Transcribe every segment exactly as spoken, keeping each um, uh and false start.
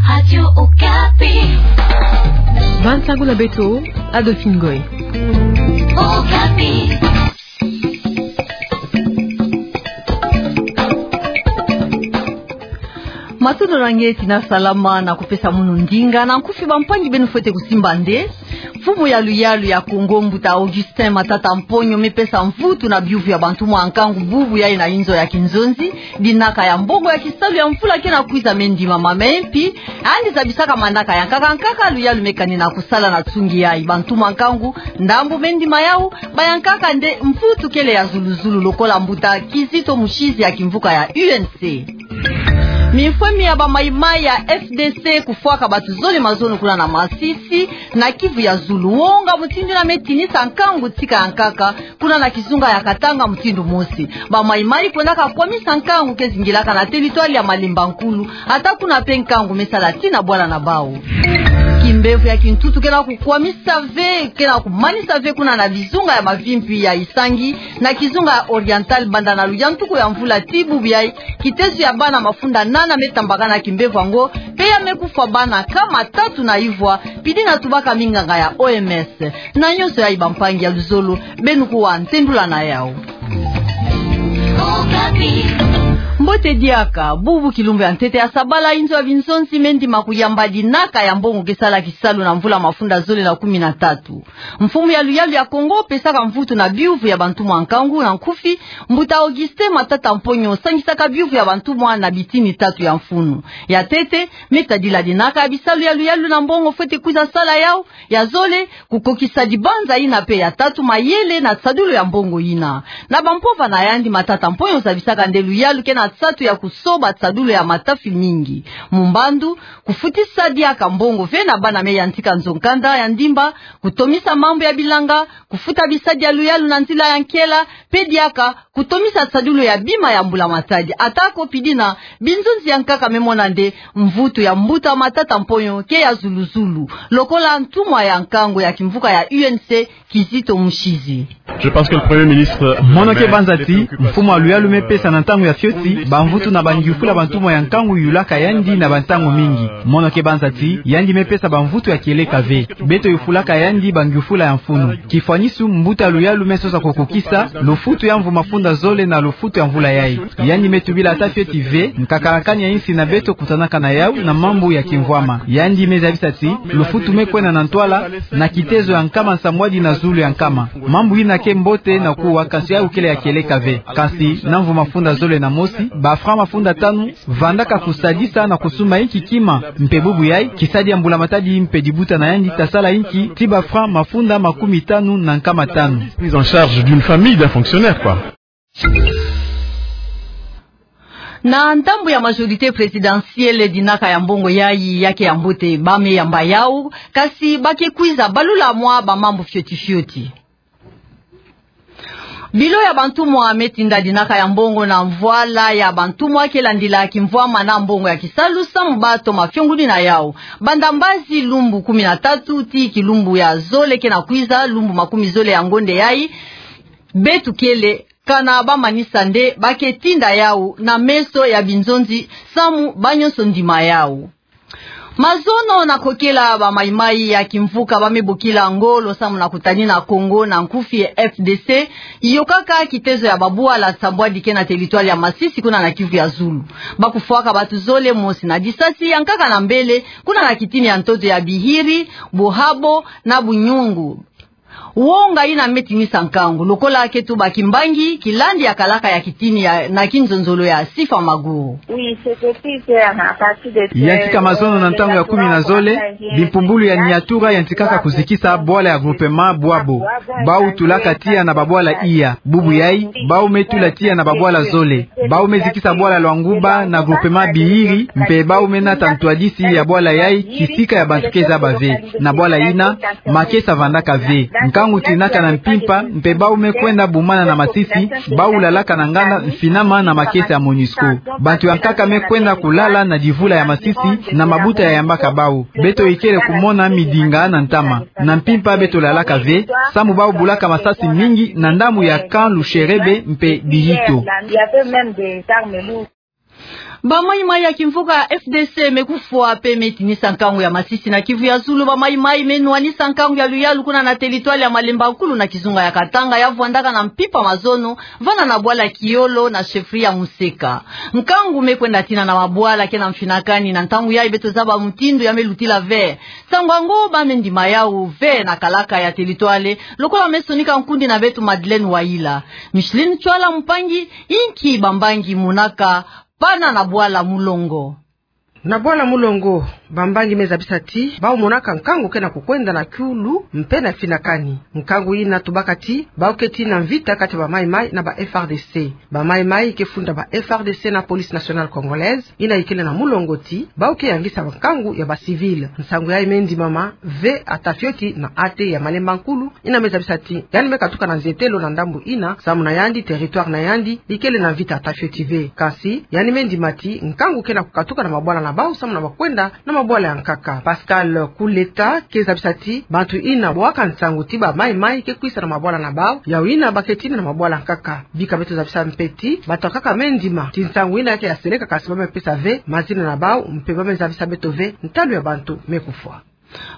Radio Okapi. Bansango na beto, Adolphine Ngoy. Okapi. Matondo na nge ti na salama na kupesa munu ndinga. Na nkufi bampangi, beno fwete kusimba nde mfumu ya luyalu ya Kongo, Mbuta Augustin Matata Mponyo, me pesa mvutu na biyuvu ya bantumwa nkangu bubu yayi na inzo ya kinzonzi, dinaka ya mbongo ya kisalu ya mvula ke na kwiza me ndimama. Me mpi, yandi zabisaka manaka ya nkaka nkaka luyalu me kani na kusala na nsungi yayi. Bantumwa nkangu ndambu me ndima yawu bayankaka nde mvutu kele ya zulu zulu, lokola Mbuta Kizito Mushizi ya kimvuka ya U N C. Mifwemi ya ba Maï-Maï ya F D C kufwaka bato zole mazono kuna na Masisi, na Kivu ya Zulu. Wonga mutindu yina me tinisa nkangu tika ya nkaka kuna na kizunga ya Katanga mutindu mosi. Ba Maï-Maï kwendaka kwamisa nkangu ke zingilaka na territoire ya Malemba Nkulu, ata kuna mpe nkangu me sala tii na bwala na bawu. Kimbevo ya kintutu ke na kukwamisa ve, ke na kumanisa ve kuna na bizunga ya mavimpi ya Isangi, na kizunga ya Oriental, banda na luyantuku ya mvula tii bubu yayi. Kitezo ya bana mafunda nana me tambakana na kimbevo yango, mpe ya me kufwa bana nkama tatu na ivwa, pidi na tubaka minganga ya O M S. Na nyonso yayi, bampangi, ya luzolo, beno kuwa ntendula na yawu. Mbote diaka. Bubu kilumbu ya ntete ya sabala, inzo ya binzonzi me ndima kuyamba dinaka ya mbongo ke sala kisalu na mvula mafunda zole na kumi na tatu. Mfumu ya luyalu ya Kongo pesaka mvutu na biyuvu ya bantumwa nkangu, na nkufi, Mbuta Augustin Matata Mponyo sangisaka biyuvu ya bantumwa na bitini tatu ya mfunu. Ya ntete, me tadila dinaka ya bisalu ya luyalu na mbongo fwete kwiza sala yawu. Ya zole, kukokisa dibanza yina, mpe ya tatu, mayele na nsadulu ya mbongo yina. Na bampova na yandi, Matata Mponyo zabisaka nde luyalu ke na nsatu ya kusoba nsadulu ya matafi mingi. Mumbandu, kufutisa diaka mbongo ve na bana me yantika nzo-nkanda ya ndimba, kutomisa mambu ya bilanga, kufuta bisadi ya luyalu na nzila ya nkela, mpe diaka kutomisa nsadulu ya bima ya mbula-matadi. Atako pidi na binzonzi ya nkaka me mona nde mvutu ya Mbuta Matata Mponyo ke ya zulu-zulu, lokola ntumwa ya nkangu ya kimvuka ya U N C, Kizito Mushizi. Je pense que le Premier ministre... Mono ke banza ti mfumu ya luyalu me pesa na ntangu ya fioti bamvutu na bangiufula bantumwa ya nkangu yulaka yandi na bantangu mingi. Mono ke banza ti yandi me pesa bamvutu ya kieleka ve. Beto yufulaka yandi bangiufula ya mfunu. Kifwanisu, mbuta luyalu me sosa kukokisa lufutu ya mvu mafunda zole na lufutu ya mvula yayi. Yandi me tubila ata fioti ve nkakalakani ya insi na beto kutanaka na yawu na mambu ya kimvwama. Yandi me zabisa ti lufutu me kwenda na ntwala na kitezo ya nkama nsambwadi na zulu ya nkama. Mambu yina ke mbote na kuwa, kansi yawu kele ya kieleka ve. Kansi na mvu mafunda zole na mosi, ba francs mafunda tanu vandaka kusadisa na kusumba inki kima, mpe bubu yayi, kisadi ya mbula-matadi mpe dibuta na yandi ta sala inki ti ba francs mafunda makumi tanu na nkama tanu. Prise en charge d'une famille, d'un fonctionnaire, quoi. Na ndambu ya majorité présidentielle, dinaka ya mbongo yayi ya ke ya mbote, ba me yamba yawu, kansi ba ke kwiza balula mwa bamambu fioti-fioti. Bilo ya bantumwa me tinda dinaka ya mbongo na mvwala ya bantumwa ke landila kimvwama na mbongo ya kisalu samu ba toma fionguni na yawu. Banda mbazi lumbu kumi na tatu tii kilumbu ya zole ke na kwiza, lumbu makumi zole ya ngonde yayi, beto kele kana ba manisa nde ba ke tinda yawu na meso ya binzonzi samu ba nyonso ndima yawu. Mazono na kokela, ba Maï-Maï ya kimvuka ba me bokila ngolo samu na kutanina Kongo, na nkufi F D C, yokaka kitezo ya babwala nsambwadi ke na territoire ya Masisi kuna na Kivu ya Zulu. Ba kufwaka bato zole mosi na disasi ya nkaka na mbele kuna na kitini ya ntoto ya Bihiri, Buhabo na Bunyungu. Wonga yina me tinisa nkangu, lokola ke tuba kimbangi, kilandi ya kalaka ya kitini ya, na kinzonzolo ya Sifa Maguru. Yantika mazono na ntangu ya kumi na zole, bimpumbulu ya Niatura yantikaka kuzikisa bwala ya groupement Bwabo. Bawu tulaka tiya na babwala iya. Bubu yayi, bawu me tula tiya na babwala zole. Bawu me zikisa bwala Lwanguba na groupement Bihiri, mpe bawu me nata ntwadisi ya bwala yayi kisika ya bantu ke zaba ve. Na bwala yina, makesa vandaka ve. Nkangu tinaka na mpimpa, mpe bawu me kwenda bumana na Masisi, bawu lalaka na nganda mfinama na makesa ya MONUSCO. Bantu ya nkaka me kwenda kulala na divula ya Masisi na mabuta ya yambaka bawu. Beto ikele kumona midinga na ntama. Na mpimpa beto lalaka ve, samu bawu bulaka masasi mingi na ndambu ya camp Lusherebe mpe Bihito. Bamaimai ya kimvuka F D C me kufwa pe me tinisa nkangu ya masisi na Kivu ya Zulu. Bamaimai me nwanisa nkangu ya luyalu kuna na teritware ya Malemba Nkulu na kizunga ya Katanga, ya vwandaka na mpimpa mazono, vana na bwala Kiolo na chefferie ya Museka. Nkangu me kwenda tina na mabwala ke na mfinakani, na ntangu yayi beto zaba mutindu ya me lutila ve. Nsangu yango ba me ndima yawu ve na kalaka ya teritware, lokola me sonika nkundi na beto Madeleine Wayila. Micheline Chwala Mpangi, inki bambangi monaka pana na bwala Mulongo? Na bwala Mulongo, bambangi me zabisa ti bau monaka nkangu ke na kukwenda na kiulu mpe na mfinakani. Nkangu yina tubaka ti bau ke tina mvita kati ya bamaimai na ba F R D C. Bamaimai ke funda ba F R D C na Police Nationale Congolaise, yina yikele na Mulongo ti bau ke yangisa nkangu ya ba civil. Nsangu yayi me ndimama ve ata fioti na A T ya Malemba Nkulu, yina me zabisa ti yandi me katuka na nzietelo na ndambu yina, samu na yandi, territoire na yandi yikele na mvita ata fioti ve. Kansi yandi me ndima ti nkangu ke na kukatuka na mabwala na bau samu na bakwenda na mabwala ya nkaka. Pascal Kuleta ke zabisa ti bantu yina bwaka nsangu ti bamaimai ke kwisa na mabwala na bau, yawu yina ba ke tina na mabwala ya nkaka. Bika beto zabisa mpe ti bato ya nkaka me ndima ti nsangu yina ke ya seleka, kansi ba me pesa ve mazina na bau, mpe ba me zabisa beto ve ntalu ya bantu me kufwa.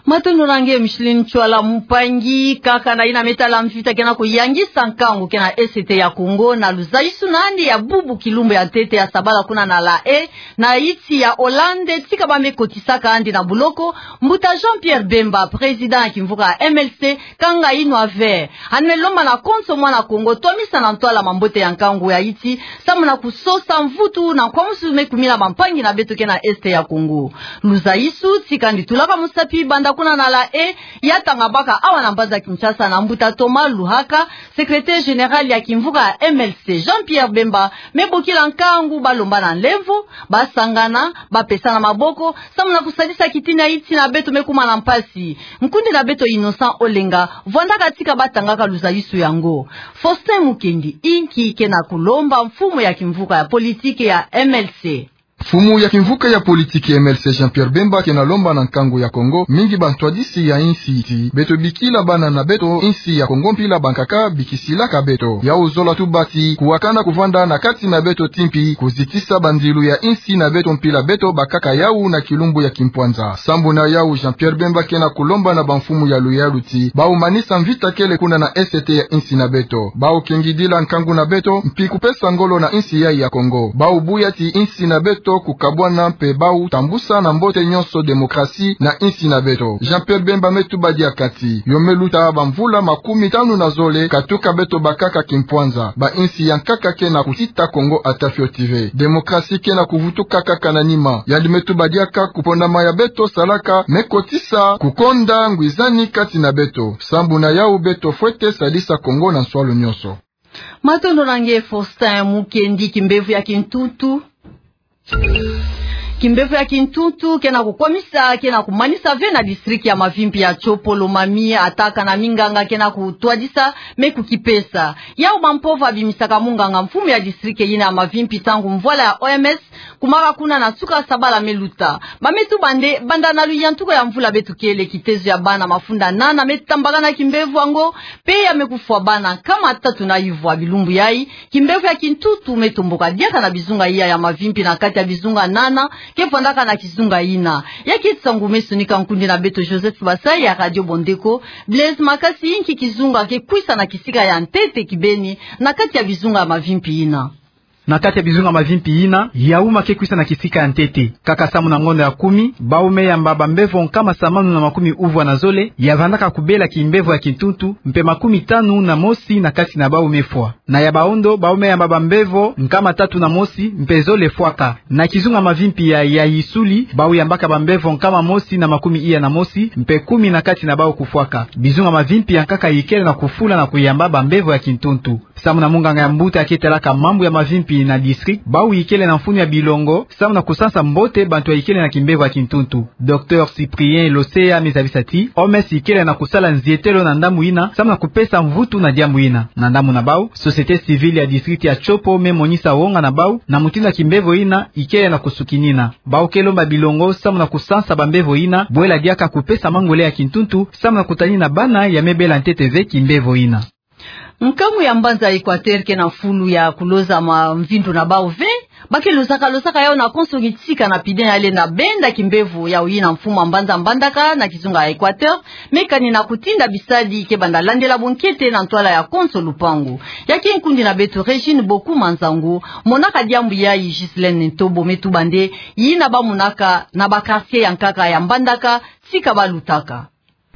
Matondo na nge Micheline Chwala Mpangi. Kaka na yina me tala mvita ke na kuyangisa nkangu ke na Est ya Congo, na luzaisu na yandi ya bubu kilumbu ya ntete ya sabala kuna na La Haye, na yinsi ya Hollande, tika ba me kotisaka yandi na buloko, mbuta Jean-Pierre Bemba, président ya kimvuka M L C, kanga yinwa ve. Yandi me lomba na konso mwana Kongo twamisa na ntwala mambote ya nkangu ya yinsi, samu na kusosa mvutu na nkwamusu me kumina bampangi na beto ke na Est ya Congo. Luzaisu ti kandi tulaka musapi banda kuna na La Haye, ya tanga baka awa na mbanza Kinshasa na mbuta Thomas Luhaka, secrétaire général ya kimvuka ya M L C. Jean-Pierre Bemba me bokila nkangu ba lomba na nlemvo, ba sangana, ba pesana maboko, samu na kusalisa kitina yinsi na beto me kuma na mpasi. Nkundi na beto Innocent Olenga vwandaka tika ba tangaka luzaisu yango. Faustin Mukendi, inki ke na kulomba mfumu ya kimvuka ya politique ya M L C? Mfumu ya kimvuka ya politique ya M L C Jean-Pierre Bemba ke na lomba na nkangu ya Kongo mingi bantwadisi ya yinsi ti beto bikila bana na beto, yinsi ya Kongo mpila bankaka bikisilaka beto. Yawu zola tuba ti kuwakana kuvanda na kati na beto ti mpi, kuzitisa bandilu ya yinsi na beto mpila beto bakaka yawu na kilumbu ya kimpwanza. Sambu na yawu, Jean-Pierre Bemba ke na kulomba na bamfumu ya luyalu ti bau manisa mvita kele kuna na Est ya yinsi na beto. Bau kengidila nkangu na beto, mpi kupesa ngolo na yinsi yayi ya Kongo. Bau buya ti yinsi na beto kukabwana, mpe bau tambusa na mbote nyonso démocratie na yinsi na beto. Jean-Pierre Bemba me tuba diaka ti yo me luta bamvula makumi tanu na zole, katuka beto bakaka kimpwanza. Bayinsi ya nkaka ke na kutita Kongo ata fioti ve. Démocratie ke na kuvutuka kaka na nima. Yandi me tuba diaka kupondama ya beto salaka me kotisa kukonda ngwizani kati na beto. Sambu na yawu, beto fwete sadisa Kongo na nswalu nyonso. Matondo na nge Faustin Mukendi. Kimbevo ya kintuntu, kimbevo ya kintuntu ke na kukwamisa, ke na kumanisa ve na district ya mavimpi ya Tshopo Lomami, ata kana minganga ke na kutwadisa me kukipesa. Yawu bampova bimisaka munganga mfumu ya district yina ya mavimpi ntangu mvwala ya O M S kumaka kuna na nsuka sabala me luta. Ba me tuba nde banda na luyantuku ya mvula beto kele, kitezo ya bana mafunda nana me tambakana kimbevo yango, mpe ya me kufwa bana nkama tatu na ivwa. Bilumbu yayi, kimbevo ya kintuntu me tomboka diaka na bizunga iya ya mavimpi na kati ya bizunga nana ke vwandaka na kizunga yina. Ya ke nsangu me sonika nkundi na beto Joseph Basai ya Radio Bondeko. Blaise Makasi, inki kizunga ke kwisa na kisika ya ntete kibeni na kati ya bizunga ya mavimpi yina? Na kati ya bizunga mavimpi yina, Yaouma ke kwisa na kisika ya ntete. Kaka samu na ngonda ya kumi, bau me yamba bambevo nkama samanu na makumi uvwa na zole ya vandaka kubela kimbevo ya kintuntu, mpe makumi tanu na mosi na kati na bau me fwa. Na Yabaondo, bau me yamba bambevo nkama tatu na mosi, mpe zole fwaka. Na kizunga mavimpi ya, ya Issouli, bau yambaka bambevo nkama mosi na makumi iya na mosi, mpe kumi na kati na bau kufwaka. Bizunga mavimpi ya nkaka yikele na kufula na kuyamba bambevo ya kintuntu. Samu na munganga ya mbuta ya ke talaka mambu ya mavimpi na district, bau yikele na mfunu ya bilongo samu na kusansa mbote bantu ya yikele na kimbevo ya kintuntu. Docteur Cyprien Loseya me zabisa ti O M S yikele na kusala nzietelo na ndambu yina samu na kupesa mvutu na diambu yina. Na ndambu na bau, société civile ya district ya Tshopo me monisa wonga na bau na mutindu ya kimbevo yina yikele na kusukinina. Bau ke lomba bilongo samu na kusansa bambevo yina, bwela diaka kupesa mangole ya kintuntu samu na kutanina bana ya me bela ntete ve kimbevo yina. Nkangu ya mbanza Equateur ke na fulu ya kuloza mamvindu na bau ve, Ba ke losaka, losaka yau na konso kitika na pide yale na benda kimbevo yau yina mfumu a mbanza Mbandaka na kizunga ya Equateur, me kani na kutinda bisadi ke banda landela bunkete na ntwala ya konso lupangu. Ya ke nkundi na beto Régine Boku Manzangu, monaka diambu yayi Ghislaine Ntobo, me tuba nde yina ba monaka na ba quartier ya nkaka ya Mbandaka, tika ba lutaka.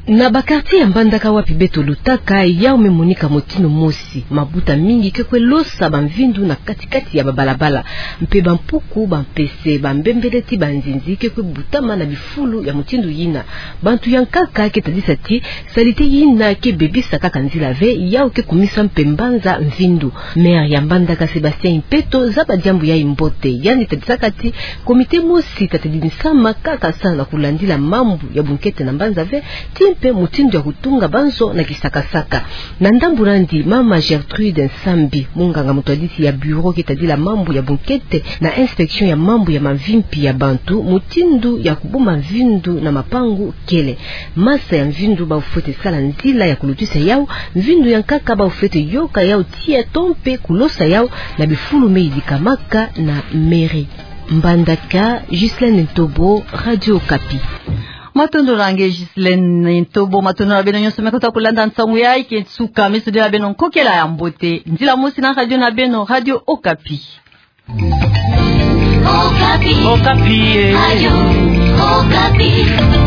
Na ba quartier ya Mbandaka wapi beto lutaka, yau me monika motino mosi. Mabuta mingi ke kwe losa bamvindu na kati-kati ya babalabala. Mpe bampuku, bampese, bambembeleti, banzinzi ke kwe butama na bifulu ya motindo yina. Bantu ya nkaka ke tadisa ti, salite yina ke bebisa kaka nzila ve, yau ke kumisa mpe mbanza mvindu. Maire ya Mbandaka Sébastien Impeto zaba diambu yayi mbote. Yandi tadisaka ti, comité mosi ta tadinisama kaka sa na kulandila mambu ya bunkete na mbanza ve, ti mpe motindo ya kutunga banzo na kisakasaka. Na ndambu nandi, mama Gertrude Nsambi, munganga mutwadisi ya bureau ke tadila mambu ya bunkete na inspection ya mambu ya mavimpi ya bantu, motindo ya kubumba mvindu na mapangu kele. Masa ya mvindu bafwete sala nzila ya kulutisa yau, mvindu ya nkaka bafwete yoka yau tiya to mpe kulosa yau na bifulu me yidikama kaka na mairie. Mbandaka, Ghislaine Ntobo, Radio Okapi. Matondo na nge Ghislaine Ntobo, matondo na beno nyonso me kota kulanda nsangu yayi ke nsuka, me sudila beno nkokela ya mbote. Nzila mosi na radio na beno, Radio Okapi. Okapi. Okapi, eh. Radio Okapi.